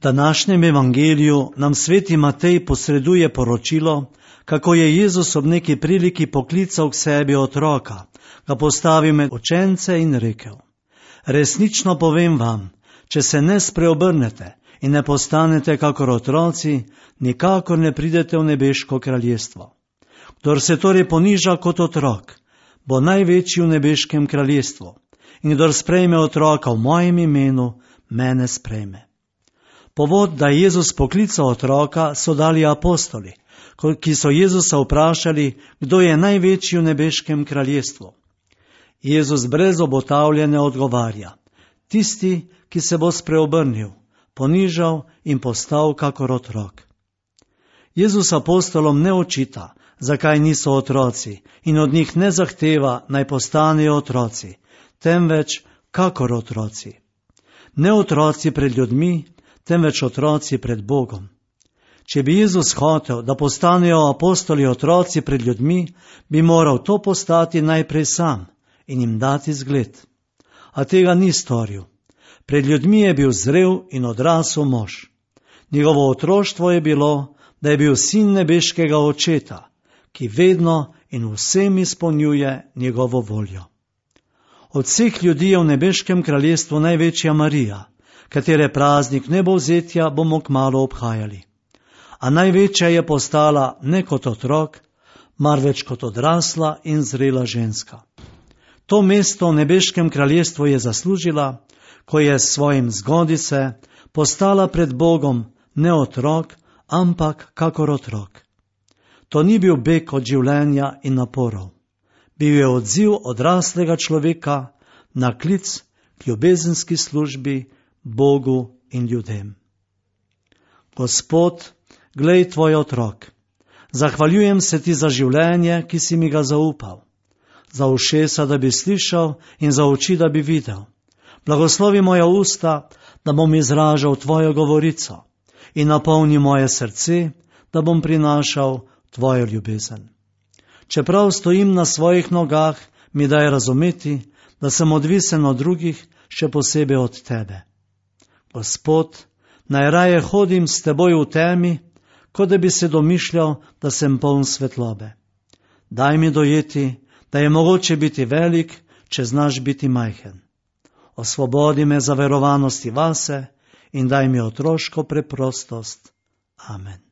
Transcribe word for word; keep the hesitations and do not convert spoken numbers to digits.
današnjem evangeliju nam sveti Matej posreduje poročilo, kako je Jezus ob neki priliki poklical k sebi otroka, ga postavil med učence in rekel: resnično povem vam, če se ne spreobrnete in ne postanete kakor otroci, nikakor ne pridete v nebeško kraljestvo. Kdor se torej poniža kot otrok, bo največji v nebeškem kraljestvu, in kdor sprejme otroka v mojem imenu, mene sprejme. Povod, da je Jezus poklical otroka, so dali apostoli, ki so Jezusa vprašali, kdo je največji v nebeškem kraljestvu. Jezus brez obotavljanja odgovarja: tisti, ki se bo spreobrnil, ponižal in postal kakor otrok. Jezus apostolom ne očita, zakaj niso otroci, in od njih ne zahteva, naj postanejo otroci, temveč kakor otroci. Ne otroci pred ljudmi, temveč otroci pred Bogom. Če bi Jezus hotel, da postanejo apostoli otroci pred ljudmi, bi moral to postati najprej sam in jim dati zgled. A tega ni storil. Pred ljudmi je bil zrel in odrasel mož. Njegovo otroštvo je bilo, da je bil sin nebeškega očeta, ki vedno in vsem izpolnjuje njegovo voljo. Od vseh ljudi je v nebeškem kraljestvu največja Marija, katere praznik nebovzetja bomo kmalu obhajali. A največja je postala ne kot otrok, marveč kot odrasla in zrela ženska. To mesto v nebeškem kraljestvu je zaslužila, ko je s svojim zgodice postala pred Bogom ne otrok, ampak kakor otrok. To ni bil beg od življenja in naporov. Bil je odziv odraslega človeka na klic k ljubezenski službi Bogu in ljudem. Gospod, glej tvoj otrok. Zahvaljujem se ti za življenje, ki si mi ga zaupal. Za ušesa, da bi slišal, in za oči, da bi videl. Blagoslovi moja usta, da bom izražal tvojo govorico, in napolni moje srce, da bom prinašal tvojo ljubezen. Čeprav stojim na svojih nogah, mi daj razumeti, da sem odvisen od drugih, še posebej od tebe. Gospod, najraje hodim s teboj v temi, kot da bi se domišljal, da sem poln svetlobe. Daj mi dojeti, da je mogoče biti velik, če znaš biti majhen. Osvobodi me zaverovanosti vase in daj mi otroško preprostost. Amen.